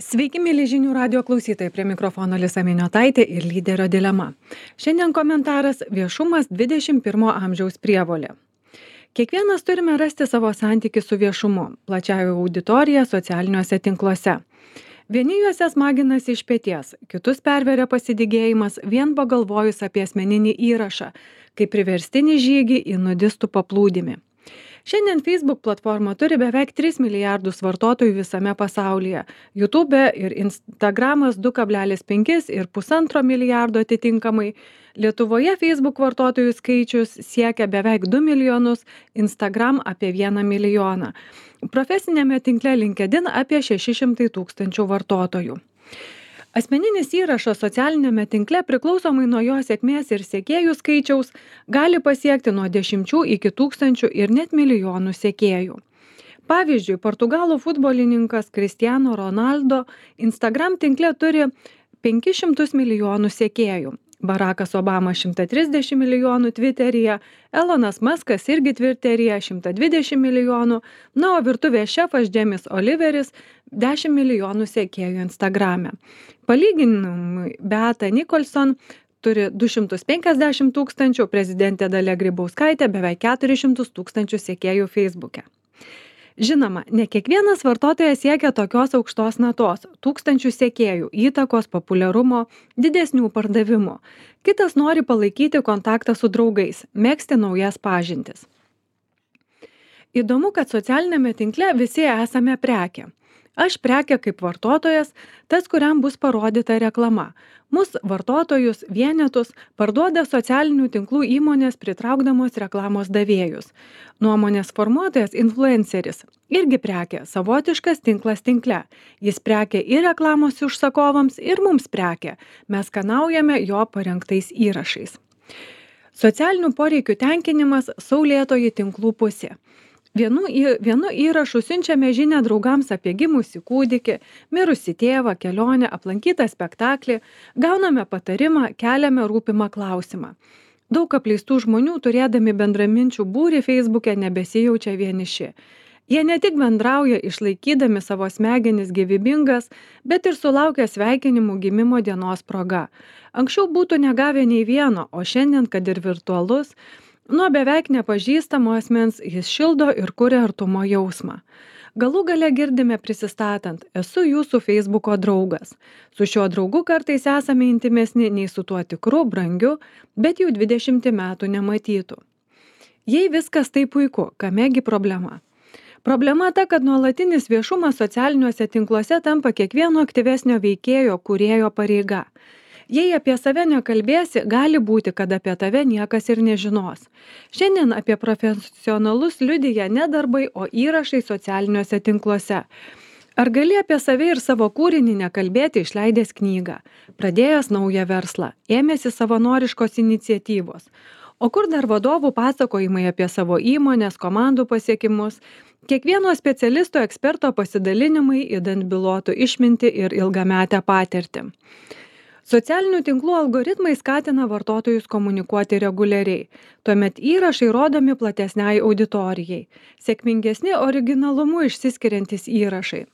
Sveiki, mėly žinių radio klausytojai, prie mikrofono Lisa Miniotaitė ir lyderio dilema. Šiandien komentaras - viešumas 21 amžiaus prievolė. Kiekvienas turime rasti savo santykį su viešumu, plačiąja auditorija socialiniuose tinkluose. Vieni juose smaginasi iš peties, kitus perveria pasidygėjimas vien pagalvojus apie asmeninį įrašą, kaip priverstinį žygį į nudistų paplūdimį. Šiandien Facebook platforma turi beveik 3 milijardus vartotojų visame pasaulyje. YouTube ir Instagramas 2,5 ir 1,5 milijardo atitinkamai. Lietuvoje Facebook vartotojų skaičius siekia beveik 2 milijonus, Instagram apie 1 milijoną. Profesinėme tinkle LinkedIn apie 600 tūkstančių vartotojų. Asmeninis įrašas socialinėme tinkle priklausomai nuo jo sėkmės ir sekėjų skaičiaus gali pasiekti nuo 10 iki 1000 ir net milijonų sekėjų. Pavyzdžiui, portugalų futbolininkas Cristiano Ronaldo Instagram tinkle turi 500 milijonų sekėjų. Barackas Obama 130 milijonų Twitteryje, Elonas Muskas irgi Twitteryje 120 milijonų, na, o virtuvės šefas Jamie Oliveris 10 milijonų sekėjų Instagrame. Palyginimui, Beata Nicholson turi 250 tūkstančių, prezidentė Dalia Grybauskaitė beveik 400 tūkstančių sekėjų Facebook'e. Žinoma, ne kiekvienas vartotojas siekia tokios aukštos natos - tūkstančių sekėjų, įtakos, populiarumo, didesnių pardavimų. Kitas nori palaikyti kontaktą su draugais, megzti naujas pažintis. Įdomu, kad socialinėme tinkle visi esame prekė. Aš prekė kaip vartotojas, tas, kuriam bus parodyta reklama. Mus vartotojus, vienetus parduoda socialinių tinklų įmonės pritraukdamos reklamos davėjus. Nuomonės formuotojas influenceris irgi prekė, savotiškas tinklas tinkle. Jis prekė ir reklamos užsakovams, ir mums prekė. Mes skanaujame jo parengtais įrašais. Socialinių poreikių tenkinimas - saulėtoji tinklų pusė. Vienu įrašu siunčiame žinią draugams apie gimusį kūdikį, mirusį tėvą, kelionę, aplankytą spektaklį, gauname patarimą, keliame rūpimą klausimą. Daug apleistų žmonių, turėdami bendraminčių būrį Facebook'e, nebesijaučia vieniši. Jie ne tik bendrauja išlaikydami savo smegenis gyvybingas, bet ir sulaukia sveikinimų gimimo dienos proga. Anksčiau būtų negavę nei vieno, o šiandien, kad ir virtualus, nuo beveik nepažįstamo asmens jis šildo ir kuria artumo jausmą. Galų gale girdime prisistatant, esu jūsų Facebook'o draugas. Su šiuo draugu kartais esame intimesni nei su tuo tikru, brangiu, bet jau 20 metų nematytų. Jei viskas tai puiku, kamegi problema? Problema ta, kad nuolatinis viešumas socialiniuose tinkluose tampa kiekvieno aktyvesnio veikėjo, kūrėjo pareiga. Jei apie save nekalbėsi, gali būti, kad apie tave niekas ir nežinos. Šiandien apie profesionalus liudija ne darbai, o įrašai socialiniuose tinkluose. Ar gali apie save ir savo kūrinį nekalbėti išleidęs knygą, pradėjęs naują verslą, ėmėsi savanoriškos iniciatyvos? O kur dar vadovų pasakojimai apie savo įmonės, komandų pasiekimus? Kiekvieno specialisto eksperto pasidalinimai įdant bylotų išminti ir ilgametę patirtį. Socialinių tinklų algoritmai skatina vartotojus komunikuoti reguliariai. Tuomet įrašai rodomi platesniai auditorijai. Sėkmingesni originalumu išsiskiriantys įrašai.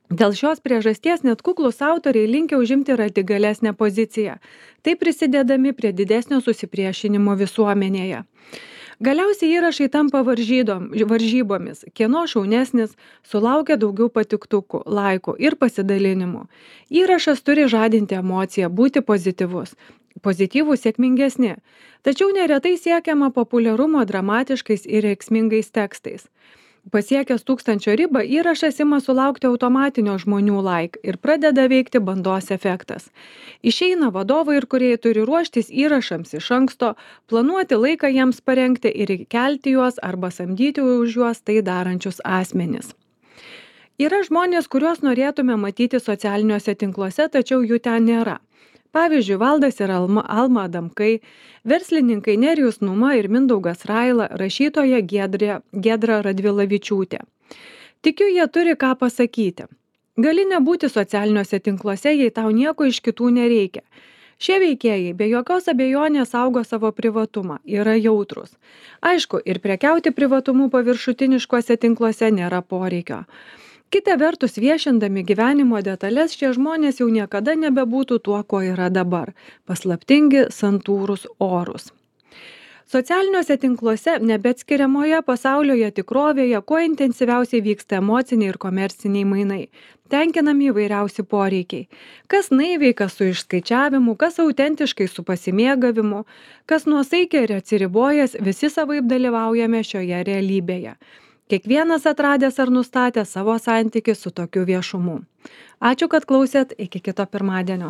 Dėl šios priežasties net kuklūs autoriai linkę užimti radikalesnę poziciją, taip prisidėdami prie didesnio susipriešinimo visuomenėje. Galiausiai įrašai tampa varžybomis, kieno šaunesnis, sulaukia daugiau patiktukų, laikų ir pasidalinimų. Įrašas turi žadinti emociją, būti pozityvus. Pozityvūs sėkmingesni, tačiau neretai siekiama populiarumo dramatiškais ir reikšmingais tekstais. Pasiekęs 1000 ribą, įrašas ima sulaukti automatinio žmonių like ir pradeda veikti bandos efektas. Išeina vadovai ir kūrėjai turi ruoštis įrašams iš anksto, planuoti laiką jiems parengti ir kelti juos arba samdyti už juos tai darančius asmenis. Yra žmonės, kuriuos norėtume matyti socialiniuose tinkluose, tačiau jų ten nėra. Pavyzdžiui, Valdas ir Alma Adamkai, verslininkai Nerijus Numa ir Mindaugas Raila, rašytoja Giedra Radvilavičiūtė. Tikiu, jie turi ką pasakyti. Gali nebūti socialiniuose tinkluose, jei tau nieko iš kitų nereikia. Šie veikėjai be jokios abejonės saugo savo privatumą, yra jautrūs. Aišku, ir prekiauti privatumu paviršutiniškuose tinkluose nėra poreikio. Kita vertus, viešindami gyvenimo detalės, šie žmonės jau niekada nebebūtų tuo, kuo yra dabar - paslaptingi, santūrūs, orūs. Socialiniuose tinkluose nebeatskiriamoje pasaulioje tikrovėje kuo intensyviausiai vyksta emociniai ir komerciniai mainai. Tenkinami įvairiausi poreikiai. Kas naiviai, kas su išskaičiavimu, kas autentiškai su pasimėgavimu, kas nuosaikiai ir atsiribojęs, visi savaip dalyvaujame šioje realybėje. Kiekvienas atradęs ar nustatęs savo santykį su tokiu viešumu. Ačiū, kad klausėt, iki kito pirmadienio.